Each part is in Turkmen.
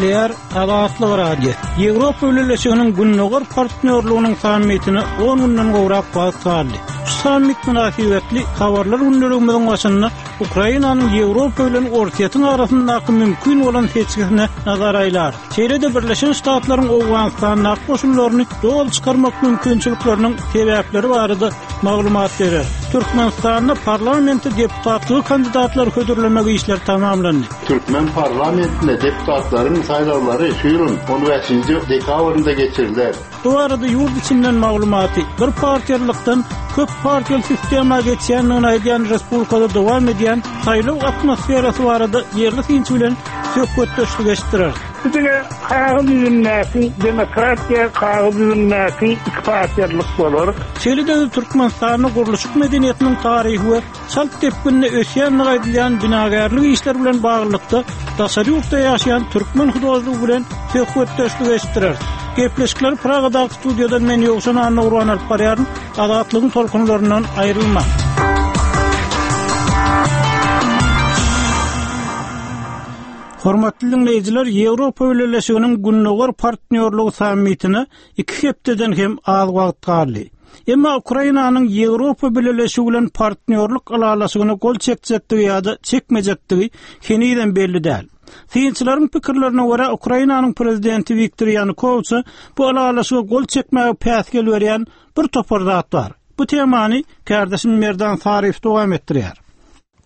Gepleýär Azatlyk Radiosy. Ýewropa Bileleşiginiň Gündogar partnýorlygynyň sammitine on günden gowrak wagt galdy. Şu sammit mynasybetli Habarlar gündeligimiziň başynda Ukrainanyň Ýewropa bilen Orsýetiň arasyndaky mümkin bolan seçgisine nazar aýlarys. Şeýle-de Birleşen Ştatlaryň Owganystandaky goşunlaryny doly çykarmak mümkinçilikleriniň sebäpleri barada maglumat berer. Türkmenistanda parlamente deputatlyga kandidatlary hödürlemek işleri tamamlandy. Türkmen parlamentine deputatlaryň saýlawlary şu ýylyň on bäşinji dekabrynda geçiriler. Bu barada ýurt içinden maglumaty, bir partiýalylykdan köp partiýaly sistema geçýändigini aýdýan respublikada dowam edýän saýlaw atmosferasy barada ýerli synçy bilen söhbetdeşlik eşitdireris. Bu diňe kagyz ýüzündäki demokratiýa, kagyz ýüzündäki ikipartiýalylyk bolar. Şeýle-de Türkmenistanda gurluşyk medeniýetiniň taryhy we çalt depginde ösýändigi aýdylýan binagärlik işleri bilen baglylykda daşary ýurtda ýaşaýan türkmen hudožnigi bilen söhbetdeşlik eşitdireris. Gepleşikleri Pragadaky studiýadan men Ýowşan Annagurban alyp barýaryn. Azatlygyň tolkunlaryndan aýrylmaň. Hormatly diňleýjiler, Ýewropa Bileleşiginiň Gündogar partnýorlygy sammitine iki hepdeden hem az wagt galdy. Emma Ukrainanyň Ýewropa Bileleşigi bilen partnýorlyk ylalaşygyna gol çekjekdigi ýa-da çekmejekdigi henizem belli däl. Synçylaryň pikirlerine görä, Ukrainanyň prezidenti Wiktor Ýanukowiçe bu ylalaşyga gol çekmäge päsgel berýän bir topar zat bar. Bu temany kärdeşim Merdan Saryýew dowam etdirýär.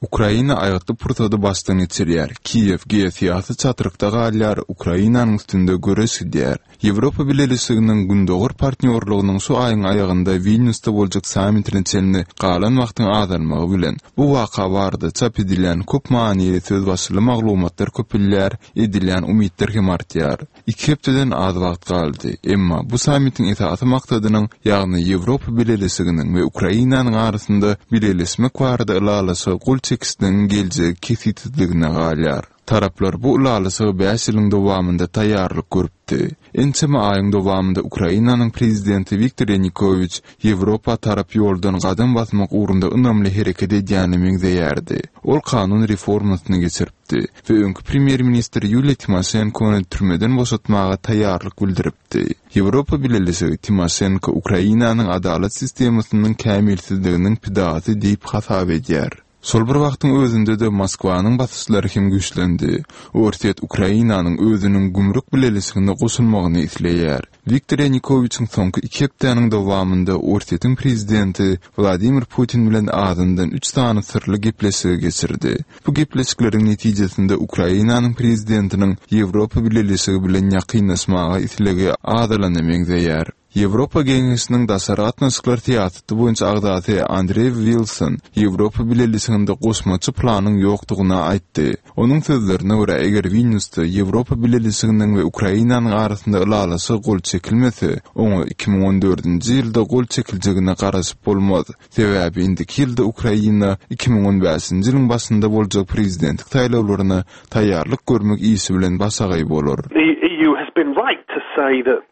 Ukraina aýgytly pursady başdan geçirýär, Kiýew geosyýasy çatrykda galýar, Ukrainanyň üstünde göreş gidýär. Ýewropa Bileleşiginiň Gündogar partnýorlygynyň şu aýyň aýagynda Wilnýusda boljak sammitine çenli galan wagtyň azalmagy bilen, bu waka barada çap edilýän köp manyly sözbaşyly maglumatlar köpelýär, edilýän umytlar hem artýar. Iki hepdeden az wagt galdy. Emma bu sammitiň esasy maksadynyň, ýagny Ýewropa Bileleşiginiň we Ukrainanyň arasynda bileleşmek barada ylalaşyga gol çekişligiň geljegi kesgitsizligine galýar. Taraplar bu ylalaşyga bäş ýylyň dowamynda taýýarlyk görüpdi. Ençeme aýyň dowamynda Ukrainanyň prezidenti Wiktor Ýanukowiç Ýewropa tarap ýoldan gadam basmak ugrunda ynamly hereket edýäne meňzeýärdi. Ol kanun reformasyny geçiripdi. etdi we öňki premýer-ministr Ýuliýa Timoşenkony türmeden boşatmaga taýýarlyk bildiripdi. Ýewropa Bileleşigi Timoşenko Ukrainanyň adalat sistemasynyň kämilsizliginiň pidasy diýip hasap edýär. Şol bir wagtyň özünde-de Moskwanyň basyşlary hem güýçlendi. Orsýet Ukrainanyň özüniň gümrük bileleşigine goşulmagyny isleýär. Wiktor Ýanukowiçiň soňky iki hepdäniň dowamynda Orsýetiň prezidenti Wladimir Putin bilen azyndan üç sany syrly gepleşigi geçirdi. Bu gepleşikleriň netijesinde Ukrainanyň prezidentiniň Ýewropa Bileleşigi bilen ýakynlaşmaga islegi azalana meňzeýär. Ýewropa Geňeşiniň daşary gatnaşyklar syýasaty boýunça agzasy Andrew Wilson Ýewropa Bileleşiginde goşmaça planyň ýokdugyny aýtdy. Onuň sözlerine görä, eger Wilnýusda Ýewropa Bileleşiginiň we Ukrainanyň arasynda ylalaşyga gol çekilmese, oňa 2014-nji ýylda gol çekiljegine garaşyp bolmaz. Sebäbi indiki ýylda Ukraina 2015-nji ýylyň başynda boljak prezidentlik saýlawlaryna taýýarlyk görmek işi bilen başagaý bolar. The EU has been right to say that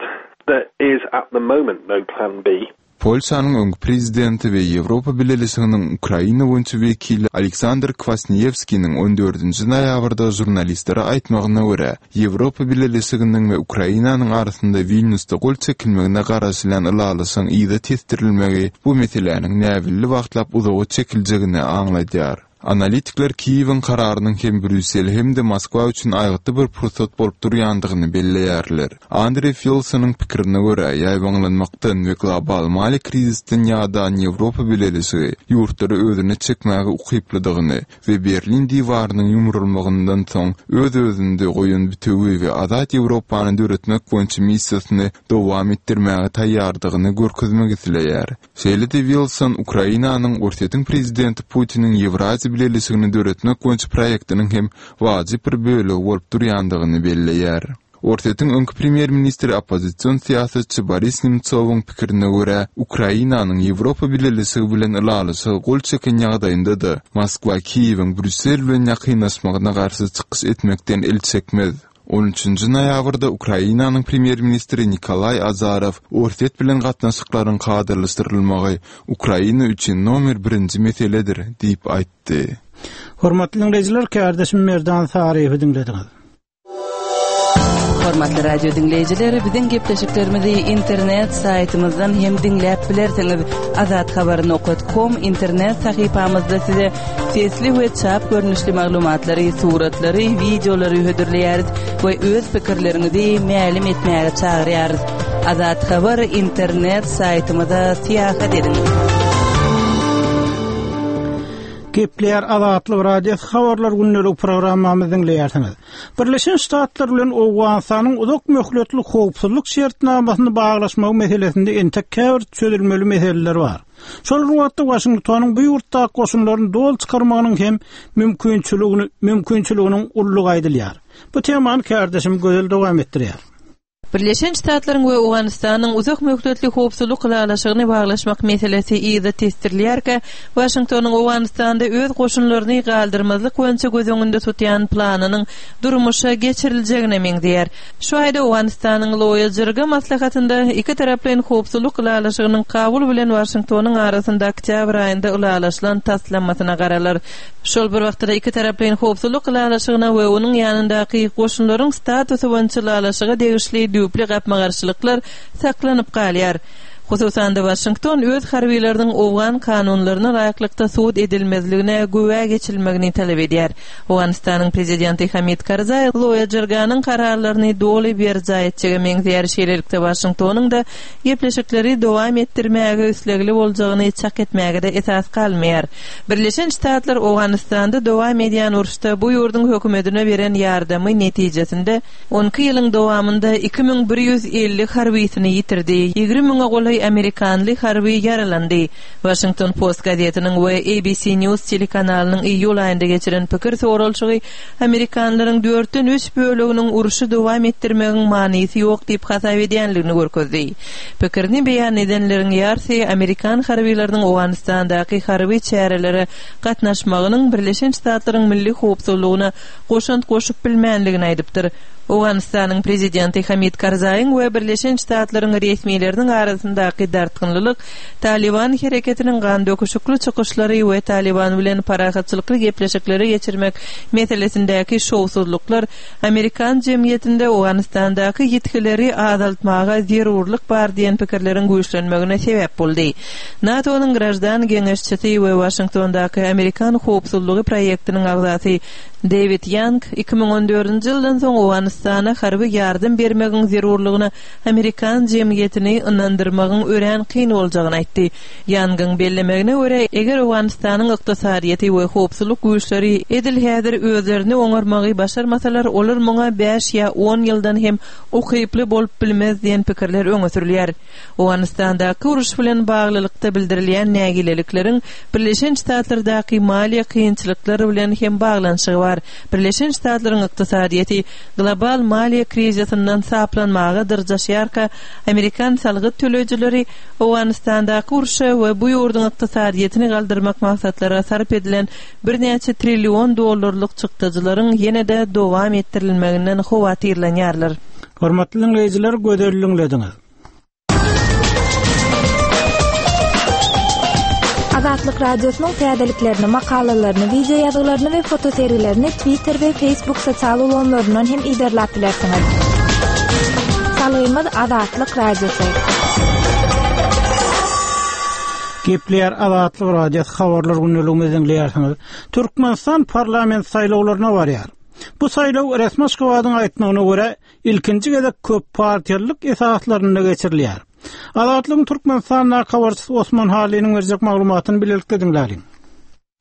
there is at the moment no plan B. Polşanyň öňki prezidenti we Ýewropa Bileleşiginiň Ukraina boýunça wekili Aleksandr Kwasniýewskiniň on dördünji noýabrda žurnalistlere aýtmagyna görä, Ýewropa Bileleşiginiň we Ukrainanyň arasynda Wilnýusda gol çekilmegine garaşylýan ylalaşygyň yza tesdirilmegi bu meseläniň näbelli wagtlap uzaga çekiljegini aňladýar. Analitikler Kiýewiň kararynyň hem Brýussel, hem-de Moskwa üçin aýgytly bir pursat bolup durýandygyny belleýärler. Andrew Wilsonyň pikirine görä, ýaýbaňlanmakdan we global maliýe krizisden ýadan Ýewropa Bileleşigi ýurtlary özüne çekmäge ukyplydygyny we Berlin diwarynyň ýumrulmagyndan soň öz-özünde goýan bütewi we azat Ýewropany döretmek boýunça missiýasyny dowam etdirmäge taýýardygyny görkezmek isleýär. Şeýle-de Wilson Ukrainanyň Orsýetiň prezidenti Putiniň Ýewraziýa Bileleşigini döretmek boýunça proýektiniň hem wajyp bir bölegi bolup durýandygyny belleýär. Orsýetiň öňki premýer-ministri oppozision syýasatçy Boris Nemtsowyň pikirine görä, Ukrainanyň Ýewropa Bileleşigi bilen ylalaşyga gol çeken ýagdaýynda-da, Moskwa Kiýewiň Brýussel bilen ýakynlaşmagyna garşy çykyş etmekden el çekmez. On üçünji noýabrda Ukrainanyň premýer-ministri Nikolaý Azarow Orsýet bilen gatnaşyklaryň kadalaşdyrylmagy Ukraina üçin nomer birinji meseledir diýip aýtdy. Hormatly diňleýjiler, kärdeşim Merdan Saryýewi diňlediňiz. Hormatly radio diňleýjiler, biziň gepleşiklerimizi internet saýtymyzdan hem diňläp bilersiňiz. Azathabar nokat kom internet sahypamyzda size sesli we çap görnüşli maglumatlary, suratlary, wideolary hödürleýäris we öz pikirleriňizi mälim etmäge çagyrýarys. Azathabar internet saýtymyza syýahat ediň. Gepleýär Azatlyk Radiosy habarlar gündelik programmamyzy diňleýärsiňiz. Birleşen Ştatlar bilen Owganystanyň uzak möhletli howpsuzlyk şertnamasyny baglaşmagy meselesinde entek käbir çözülmeli meseleler bar. Şol bir wagtda Waşingtonyň bu ýurtdaky goşunlaryny doly çykarmagynyň hem mümkinçiligini mümkinçiliginiň uludygy aýdylýar. Bu temany kärdeşim Gözel dowam etdirýär. Birleşen Ştatlaryň we Owganystanyň uzak möhletli howpsuzlyk ylalaşygyny baglaşmak meselesi yza tesdirilýärkä, Waşingtonyň Owganystanda öz goşunlaryny galdyrmazlyk boýunça göz öňünde tutýan planynyň durmuşa geçiriljegine meňzeýär. Şu aýda Owganystanyň Loýa Jirga maslahatynda ikitaraplaýyn howpsuzlyk ylalaşygynyň Kabul bilen Waşingtonyň arasynda oktýabr aýynda ylalaşylan taslamasyna garalar. Şol bir wagtda-da ikitaraplaýyn howpsuzlyk ylalaşygyna we onuň ýanyndaky goşunlaryň statusy boýunça ylalaşyga degişli düýpli gapma-garşylyklar saklanyp galýar. Hususan-da, Waşington öz harbylarynyň owgan kanunlaryna laýyklykda sud edilmezligine güwä geçilmegini talap edýär. Owganystanyň prezidenti Hamid Karzaý Loýa Jirganyň kararlaryny doly berjaý etjege meňzeýär, şeýlelikde Waşingtonyň-da gepleşikleri dowam etdirmäge islegli boljagyny çak etmäge-de esas galmaýar. Birleşen Ştatlar Owganystanda dowam edýän uruşda bu ýurduň hökümetine beren ýardamy netijesinde on iki ýylyň dowamynda 2150 harbysyny ýitirdi, 20 müňe golaý amerikanly harby ýaralandy. Washington Post gazetiniň we ABC News telekanalynyň iýul aýynda geçiren pikir soralyşygy amerikanlaryň dörtden üç böleginiň urşy dowam etdirmegiň manysy ýok diýip hasap edýändigini görkezdi. Pikirini beýan edenleriň ýarsy amerikan harbylarynyň Owganystandaky harby çärelere gatnaşmagynyň Birleşen Ştatlaryň milli howpsuzlygyna goşant goşup bilmänligini aýdypdyr. Owganystanyň prezidenti Hamid Karzaýyň we Birleşen Ştatlaryň resmileriniň arasyndaky dartgynlylyk Talyban hereketiniň gandöküşikli çykyşlary we Talyban bilen parahatçylykly gepleşikleri geçirmek meselesindäki şowsuzlyklar amerikan jemgyýetinde Owganystandaky ýitgileri azaltmaga zerurlyk bar diýen pikirleriň güýçlenmegine sebäp boldy. NATO-nyň graždan geňeşçisi we Waşingtondaky Amerikan howpsuzlygy proýektiniň agzasy Dewid Ýang 2014-nji ýyldan soň Owganystana harby ýardam bermegiň zerurlygyna amerikan jemgyýetini ynandyrmagyň örän kyn boljagyny aýtdy. Ýangyň bellemegine görä, eger Owganystanyň ykdysadyýeti we howpsuzlyk güýçleri edil häzir özlerini oňarmagy başarmasalar, olar muňa bäş ýa on ýyldan hem ukyply bolup bilmez diýen pikirler öňe sürülýär. Owganystandaky uruş bilen baglylykda bildirilýän nägilelikleriň Birleşen Ştatlardaky maliýe kynçylyklary bilen hem baglanyşygy bar. Birleşen Ştatlaryň ykdysadyýeti global maliýe krizisinden saplanmaga dyrjaşýarka, amerikan salgyt töleýjileri Owganystandaky urşa we bu ýurduň ykdysadyýetini galdyrmak maksatlara sarp edilen birnäçe trillion dollarlyk çykdajylaryň ýene-de dowam etdirilmeginden howatyrlanýarlar. Hormatly diňleýjiler, gözel diňlediňiz. Azatlyk Radiosynyň täzeliklerini, makalalaryny, wideo ýazgylaryny we fotosergilerini Twitter we Facebook sosial ulgamlaryndan hem yzarlap bilersiňiz. Salgymyz Azatlyk Radiosy. Gepleýär Azatlyk Radiosy habarlar gündeligimizi diňleýärsiňiz. Türkmenistan parlament saýlawlaryna barýar. Bu saýlaw resmi Aşgabadyň aýtmagyna görä, ilkinji gezek köppartiýalylyk esaslarynda geçirilýär. Azatlygyň Türkmenistandaky habarçysy Osman Hallynyň berjek maglumatyny bilelikde diňläliň.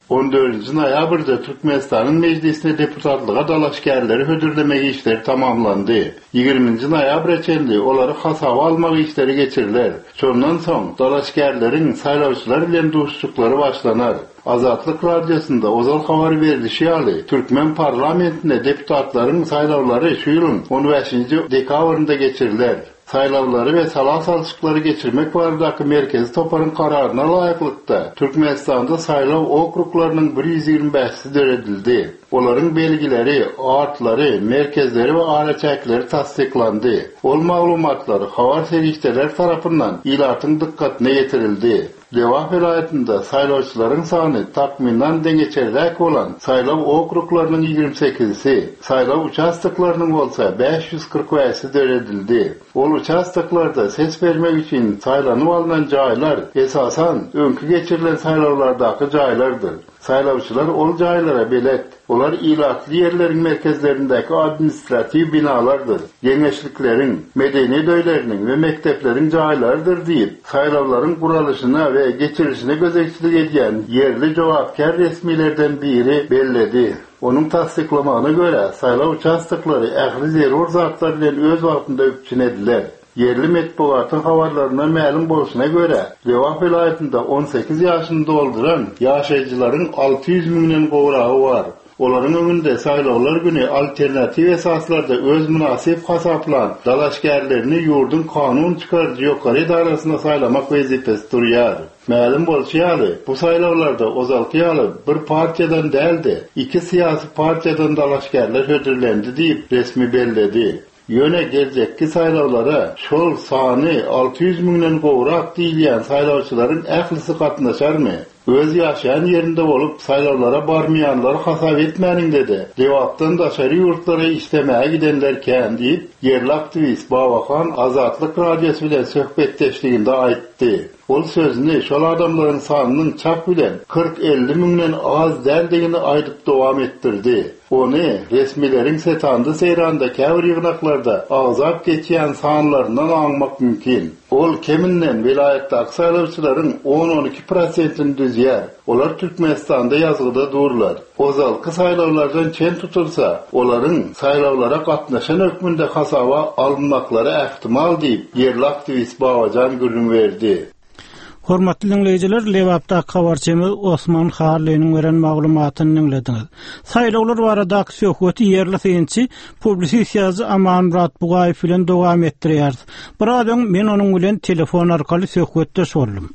On dördünji noýabrda Türkmenistanyň Mejlisine deputatlyga dalaşgärleri hödürlemek işleri tamamlandy. Ýigriminji noýabra çenli olary hasaba almak işleri geçiriler. Şondan soň dalaşgärleriň saýlawçylar bilen duşuşyklary başlanar. Azatlyk Radiosynda ozal habar berlişi ýaly, türkmen parlamentine deputatlaryň saýlawlary şu ýylyň on bäşinji dekabrynda geçiriler. Saýlawlary we sala salşyklary geçirmek baradaky Merkezi toparyň kararyna laýyklykda, Türkmenistanda saýlaw okruglarynyň bir 125 bäşisi döredildi. Olaryň belgileri, atlary, merkezleri we araçäkleri tassyklandy. Ol maglumatlar habar serişdeleri tarapyndan ilatyň dykgatyna ýetirildi. Lebap welaýatynda saýlawçylaryň sany takmynan deňeçerräk bolan saýlaw okruglarynyň ýigrimi sekizisi, saýlaw uçastoklarynyň bolsa 545-si döredildi. Ol uçastoklarda ses bermek üçin saýlanyp alnan jaýlar, esasan, öňki geçirilen saýlawlardaky jaýlardyr. Saýlawçylar ol jaýlara belet. Olar ilatly ýerleriň merkezlerindäki administratiw binalardyr, geňeşlikleriň, medeniýet öýleriniň we mekdepleriň jaýlarydyr diýip, saýlawlaryň guralyşyna we geçirilişine gözegçilik edýän ýerli jogapkär resmilerden biri belledi. Onuň tassyklamagyna görä, saýlaw uçastoklary ähli zerur zatlar bilen öz wagtynda üpjün ediler. Ýerli metbugatyň habarlaryndan mälim bolşuna görä, Lebap welaýatynda 18 ýaşyny dolduran ýaşaýjylaryň 600 müňden gowragy bar. Olaryň öňünde saýlawlar güni alternatiw esaslarda öz mynasyp hasaplan dalaşgärlerini ýurduň kanun çykaryjy ýokary edarasyna saýlamak wezipesi durýar. Mälim bolşy ýaly, bu saýlawlarda ozalky ýaly bir partiýadan däl-de, iki syýasy partiýadan dalaşgärler hödürlendi diýip, resmi belledi. Ýöne geljekki saýlawlara şol sany 600 müňden gowrak diýilýän saýlawçylaryň ählisi gatnaşarmy? Öz ýaşaýan ýerinde bolup, saýlawlara barmaýanlary hasap etmäniňde-de, Lebapdan daşary ýurtlara işlemäge gidenler kän diýip, ýerli aktiwist Babahan Azatlyk Radiosy bilen söhbetdeşliginde aýtdy. Ol sözüni şol adamlaryň sanynyň çak bilen kyrk-elli müňden az däldigini aýdyp dowam etdirdi. Ony resmileriň setanda-seýranda käbir ýygnaklarda agzap geçýän sanlaryndan aňmak mümkin. Ol keminden welaýatdaky saýlawçylaryň on-on iki prosentini düzýär. Olar Türkmenistanda ýazgyda durlar. Ozalky saýlawlardan çen tutulsa, olaryň saýlawlara gatnaşan hökmünde hasaba alynmaklary ähtimal diýip, ýerli aktiwist Babajan gürrüň berdi. Hormatly diňleýjiler, Lebapdaky habarçymyz Osman Hallynyň beren maglumatyny diňlediňiz. Saýlawlar baradaky söhbeti ýerli synçy, publisist ýazyjy Amanmyrat Bugaýew bilen dowam etdirýäris. Biraz öň men onuň bilen telefon arkaly söhbetdeş boldum.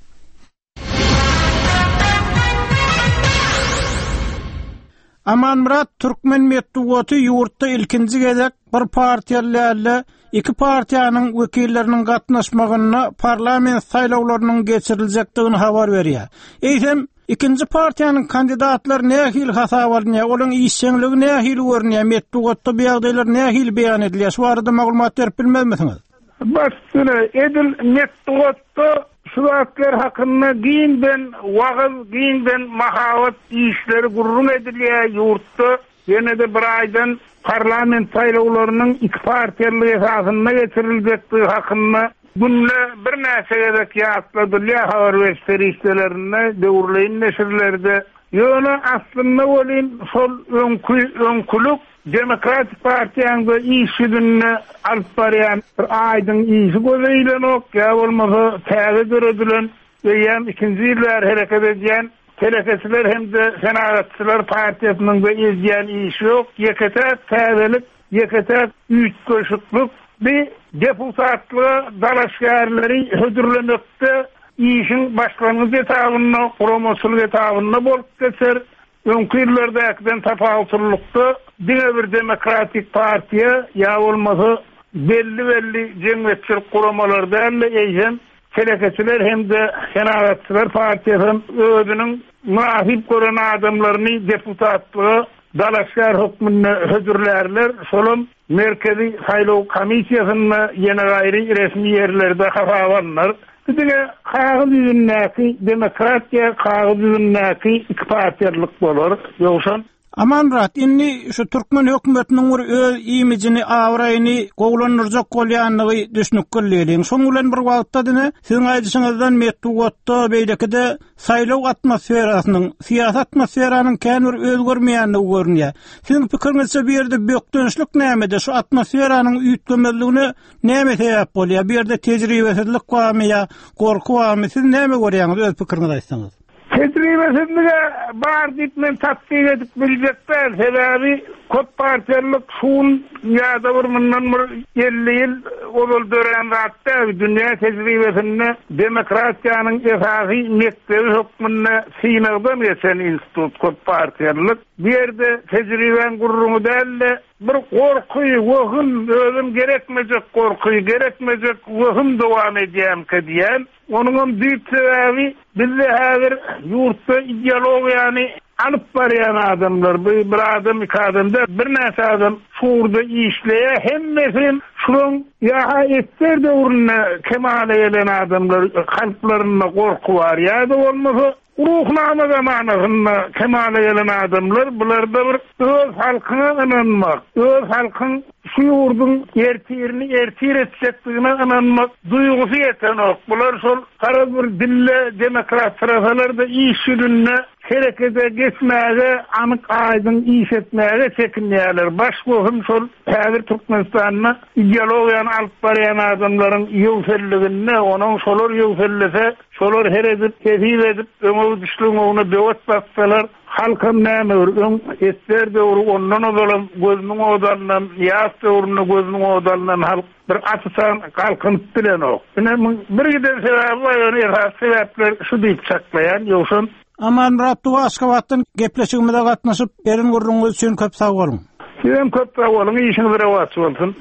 Amanmyrat türkmen metbugaty ýurtda ilkinji gezek bir partiýaly däl-de, iki partiýanyň wekilleriniň gatnaşmagynda parlament saýlawlarynyň geçiriljekdigini habar berýär. Eýsem, ikinji partiýanyň kandidatlary nähili hasaba alynýar, olaryň işjeňligi nähili görünýär, metbugatda bu ýagdaýlar nähili beýan edilýär, şu barada maglumat berip bilmezmisiňiz? Baş üstüne, edil metbugatda şu zatlar hakynda giňden wagyz, giňden mahabat işleri gürrüň edilýär ýurtda. Ýene-de bir aýdan parlament saýlawlarynyň iki partiýalylyk esasynda geçiriljekdigi hakynda günde birnäçe gezek ýatladylýar habar beriş serişdelerinde, döwürleýin neşirlerde. Ýöne aslynda welin şol öňki öňkülik Demokratik partiýaň-da iş ýüzünde alyp barýan bir aýdyň işi göze ilenok, ýa bolmasa täze döredilen, eýýäm ikinji ýyl bäri hereket edýän Telekeçiler hem-de Senagatçylar partiýasynyň-da edýän işi ýok. Ýeke-täk täzelik, ýeke-täk üýtgeşiklik bi deputatlyga dalaşgärleri hödürlemekde işiň başlangyç etabynda, guramaçylyk etabynda bolup geçer. Öňki ýyllardakiden tapawutlylykda diňe bir Demokratik partiýa ýa bolmasa belli-belli jemgyýetçilik guramalary däl-de, eýsem Telekeçiler hem-de Senagatçylar partiýasy hem özüniň mynasyp gören adamlaryny deputatlyga dalaşgär hökmünde hödürlärler, şolam Merkezi saýlaw komissiýasynda ýene gaýry resmi ýerlerde hasaba alnar. Bu diňe kagyz ýüzündäki demokratiýa, kagyz ýüzündäki ikipartiýalylyk bolar. Ýowşan. Amanmyrat, indi şu türkmen hökümetiniň bir öz imijini, abraýyny gowulandyrjak bolýandygy düşnükli diýeliň. Şoň bilen bir wagtda diňe siziň aýdyşyňyzdan metbugatda, beýlekide saýlaw atmosferasynyň, syýasy atmosferanyň kän bir özgermeýändigi görünýär. Siziň pikiriňizçe bu ýerde bökdençlik nämede? Şu atmosferanyň üýtgemezligine näme sebäp bolýar? Bu ýerde tejribesizlik barmy ýa gorky barmy? Siz näme görýäňiz, öz pikiriňizi aýtsaňyz? Tejribesizlig-ä bar diýip men tassyk edip biljek däl. Sebäbi köp partiýalylyk şu gün ýa-da bir mundan bir 50 ýyl ozal dörän zat däl. Dünýä tejribesinde demokratiýanyň esasy mekdebi hökmünde synagdan geçen institut köp partiýalylyk. Bu ýerde tejribäň gürrüňi däl-de, bir gorky, wehim, özem gerekmejek gorky, gerekmejek wehim dowam edýärmikä diýýän. Onuňam düýp sebäbi bizde häzir ýurtda ideologiýany alyp barýan adamlar, bu bir adam, iki adam däl, birnäçe adam şu ugurda işleýär. Hemmesi şulaň ýa-ha esger döwründe kemala gelen adamlar, kalplarynda gorky bar, ýa-da bolmasa Ruhnama zamanasynda kemala gelen adamlar bularda bir öz halkyňa ynanmak, öz halkyň şu ýurduň ertirini ertir etjekdigine ynanmak duýgusy ýetenok. Bular şol garaz bir dille demokratsyrasalar-da iş ýüzünde herekete geçmäge, anyk aýdyň iş etmäge çekinýärler. Baş wehim şol häzir Türkmenistanda ideologiýany alyp barýan adamlaryň ýöwselliginde, onuň şolar ýöwsellese Şolar her edip, hesip edip, öňe gidişligiň ugruna böwet bassalar, halkam näme bir, öň esger döwri, ondan ozalam gözüniň ody alnan, ýaş döwründe gözüniň ody alnan halk bir atysan galkynyp bilenok. Ine, muň bir giden sebäbi bar, ýöne esasy sebäpler şu diýip çaklaýan, ýogsam. Amanmyrat Duwa Aşgabatdan gepleşigimize gatnaşyp, beren gürrüňiňiz üçin köp sag boluň. Sizem köp sag boluň, işiňiz rowaç bolsun.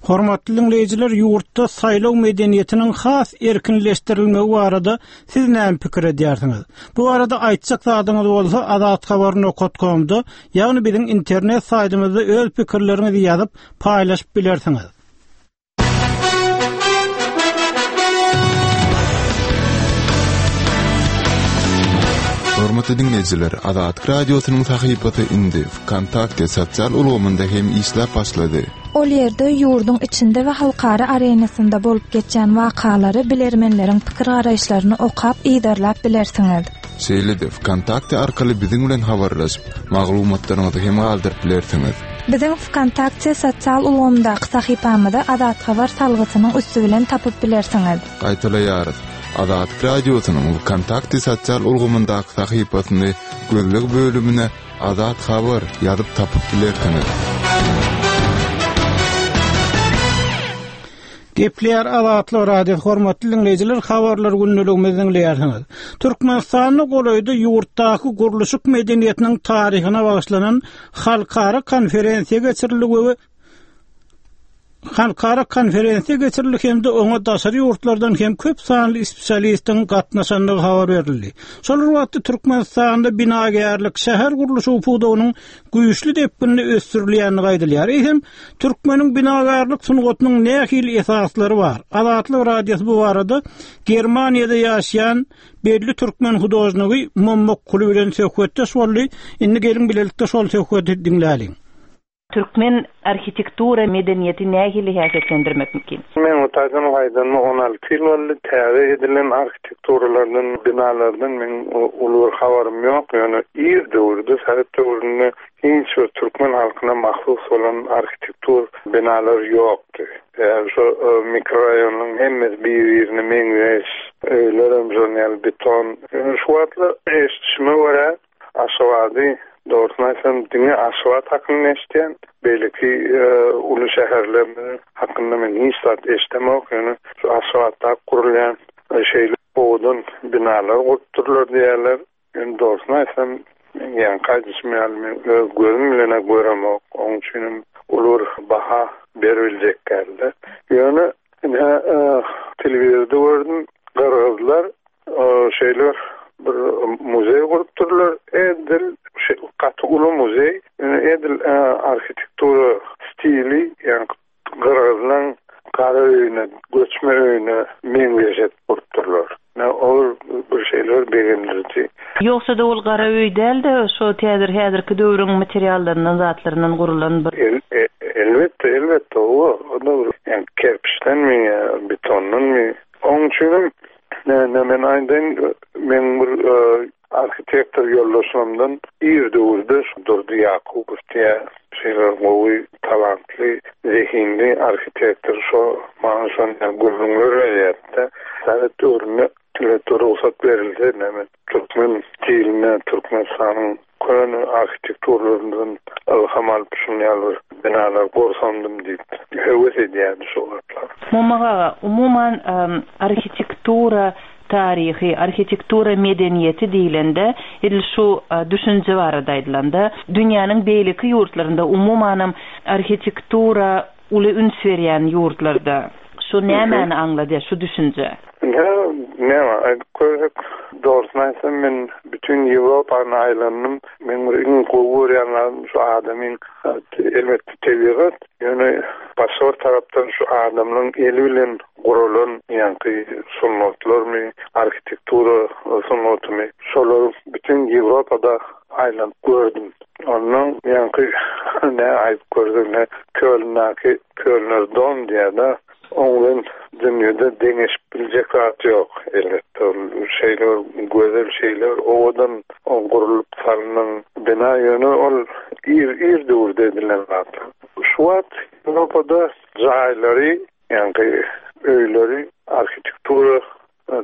Hormatly diňleýjiler, ýurtda saýlaw medeniýetiniň has erkinleşdirilmegi barada siz näme pikir edýärsiňiz? Bu barada aýtjak zadyňyz bolsa azathabar nokat komda, ýagny biziň internet saýtymyzda öz pikirleriňizi ýazyp, paýlaşyp bilersiňiz. Hormatly diňleýjiler, Azatlyk Radiosynyň sahypasy indi Wkontakte sosial ulgamynda hem işläp başlady. Ol ýerde ýurduň içinde we halkara arenasynda bolup geçýän wakalary, bilermenleriň pikir-garaýyşlaryny okap, yzarlap bilersiňiz. Şeýle-de Wkontakte arkaly biziň bilen habarlaşyp, maglumatlaryňyzy hem galdyryp bilersiňiz. Biziň Wkontakte sosial ulgamyndaky sahypamyzy Azat Habar salgysynyň üsti bilen tapyp bilersiňiz. Gaýtalaýarys, Azatlyk Radiosynyň Wkontakte sosial ulgamyndaky sahypasyny gözleg bölümine Azat Habar ýazyp tapyp bilersiňiz. Gepleýär Azatlyk Radiosy hormatly diňleýjiler habarlar gündeligimizi diňleýärsiňiz. Türkmenistanda golaýda ýurtdaky gurluşyk medeniýetiniň taryhyna bagyşlanan halkara konferensiýa geçirildi we Halkara konferensiýa geçirildi hem-de oňa daşary ýurtlardan hem köp sanly spesialistiň gatnaşandygy habar berildi. Şol bir wagtda Türkmenistanda binagärlik, şäher gurluşygy pudagynyň güýçli depginde ösdürilýändigi aýdylýar. Eýsem, türkmeniň binagärlik sungatynyň nähili esaslary bar? Azatlyk Radiosy bu barada Germaniýada ýaşaýan belli türkmen hudožnigi Mommak Kuly bilen söhbetdeş boldy. Indi geliň bilelikde şol söhbeti diňläliň. Türkmen arhitektura medeniýeti nähili häsiýetlendirmek mümkin? Men bu taýdan gaýdanyma 16 ýyl boldy. Täze edilen arhitekturalardan, binalardan meň uly bir habarym ýok. Ýöne ir döwürde, sowet döwründe hiç bir türkmen halkyna mahsus bolan arhitektur binalar ýokdy. Sebäbi şo mikroraýonyň hemmesi bir-birine meňzeş, öýlerem şonuň ýaly beton. Ýöne şu wagtlar eşidişime görä, Aşgabady, dogrusyny aýtsam, diňe Aşgabat hakynda eşidýän. Beýleki uly şäherlerimiz hakynda men hiç zat eşidemok. Ýöne şu Aşgabatda gurulýan şeýle owadan binalar gurupdyrlar diýýärler. Ýöne dogrusyny aýtsam, men ýaňky aýdyşym ýaly men öz gözüm bilen-ä göremok. Onuň üçinem uly bir baha beribiljek däl-de. Ýöne ine telewizorda gördüm, gyrgyzlar Şeýle bir muzeý gurupdyrlar. Edil gaty uly muzeý. Edil arhitektura stili, ýagny gyrgyzlaň gara öýüne, göçme öýüne meňzeş edip gurupdyrlar. Ol bir şeýle bir begendiriji. Ýogsa-da ol gara öý däl-de, şo täzir häzirki döwrüň materiallaryndan, zatlaryndan gurulan bir. Elbetde, elbetde, o da bir ýagny kerpiçdenmi ýa betondanmy. Onuň üçinem Näme men aýdaýyn, meň bir arhitektor ýoldaşlarymdan ir döwürde şu Durdy Ýakubow diýen şeýle gowy, talantly, zehinli arhitektor şo maňa şonda gürrüňler berýärdi-de. Sowet döwründe elbetde rugsat berilse näme türkmen stiline, Türkmenistanyň Köne arhitekturlarymyzdan ylham alyp şuny ýaly bir binalar gursamdym diýip höwes edýärdi şo wagtlar. Mommak aga, umuman arhitektura taryhy, arhitektura medeniýeti diýlende, edil şu düşünje barada aýdylanda, dünýäniň beýleki ýurtlarynda, umumanam arhitektura uly üns berýän ýurtlarda şu nämäni aňladýar şu düşünje? Ine, näme aýdyp görsek, dogrusyny aýtsam, men bütin Ýewropany aýlandym. Meň bir iň gowy görýän zadym şu adamyň, elbetde, tebigat, ýöne başga bir tarapdan şu adamlaryň eli bilen guralan ýaňky sungatlarmy, arhitektura sungatymy, şolary bütin Ýewropada aýlanyp gördüm. Onnoň ýaňky nä aýdyp görsek, nä Kölndäki Kölner dom diýýär-de, Oň bilen dünýede deňeşip biljek zat ýok, elbetde. Ol şeýle bir gözel, şeýle bir owadan gurlup salnan bina, ýöne ol ir, ir döwürde edilen zat. Şu wagt Ýewropada jaýlary, ýagny öýleri arhitektura,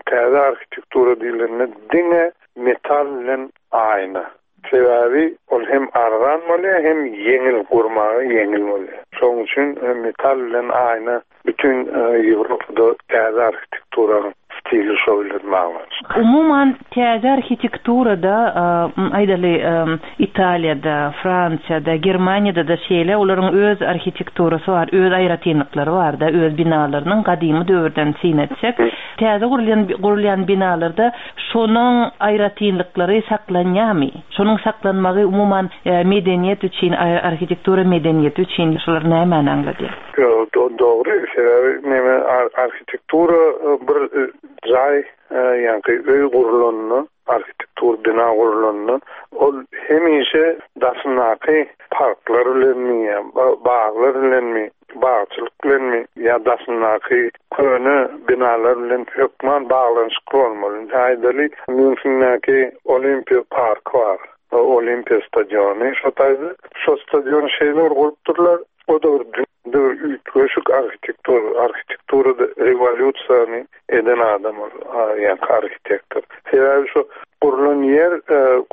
täze arhitektura diýlende diňe metal bilen aýna. Sebäbi ol hem arzan bolýar, hem ýeňil, gurmaga ýeňil bolýar. Şonuň üçin metal bilen aýna bütin Ýewropada täze arhitekturanyň stili şo bilen baglanyşykly. Umuman, täze arhitekturada, aýdaly, Italiýada, Fransiýada, Germaniýada-da şeýle, olaryň öz arhitekturasy bar, öz aýratynlyklary bar-da, öz binalarynyň gadymy döwürden syn etsek. Täze gurulýan binalarda Şonuň aýratynlyklary saklanýarmy? Şonuň saklanmagy umuman medeniýet üçin, arhitektura medeniýeti üçin şular nämäni aňladýar? Ýok, dogry, sebäbi neme arhitektura bir jaý, ýaňky öý gurlanda, arhitektur bina gurlanda, ol hemişe daşyndaky parklar bilenmi ýa baglar bilenmi, bagçylyk bilenmi ýa daşyndaky köne binalar bilen hökman baglanyşykly bolmaly. Indi aýdaly, Mýunhendäki Olimpiýa parky bar, Olimpiýa stadiony şo taýda. Şo stadiony şeýle bir gurupdyrlar, o-da bir dünýäde bir üýtgeşik arhitektura, arhitekturada rewolýusiýany eden adam ol, ýaňky arhitektor. Sebäbi şo gurlan ýer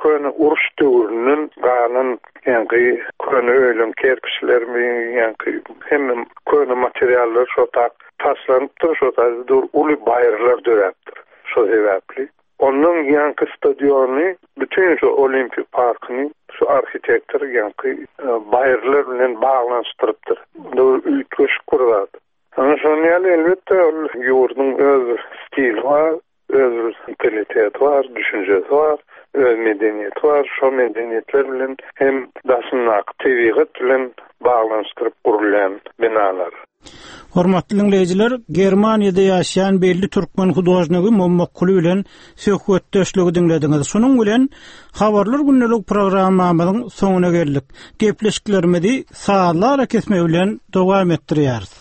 köne uruş döwründen galan ýaňky köne öýleň kerpiçlerimi, ýaňky hemme köne materiallar şo tak taşlanypdyr, şo taýda dur uly baýyrlar döräpdir şo sebäpli. Ondan ýaňky stadiony, bütin şo Olimpiýa parkyny şu arhitektor ýaňky baýyrlar bilen baglanyşdyrypdyr. Bu da bir üýtgeşik bir zat. Ana şonuň ýaly elbetde ol ýurduň öz bir stili bar, öz bir mentaliteti bar, düşünjesi bar, öz medeniýeti bar. Şo medeniýetler bilen hem daşyndaky tebigat bilen baglanyşdyryp gurulýan binalar. Hormatly diňleýjiler, Germaniýada ýaşaýan belli türkmen hudožnigi Mommak Kuly bilen söhbetdeşligi diňlediňiz. Şunuň bilen Habarlar gündelik programmamyzyň soňuna geldik. Gepleşiklerimizi sazly arakesme bilen dowam etdirýäris.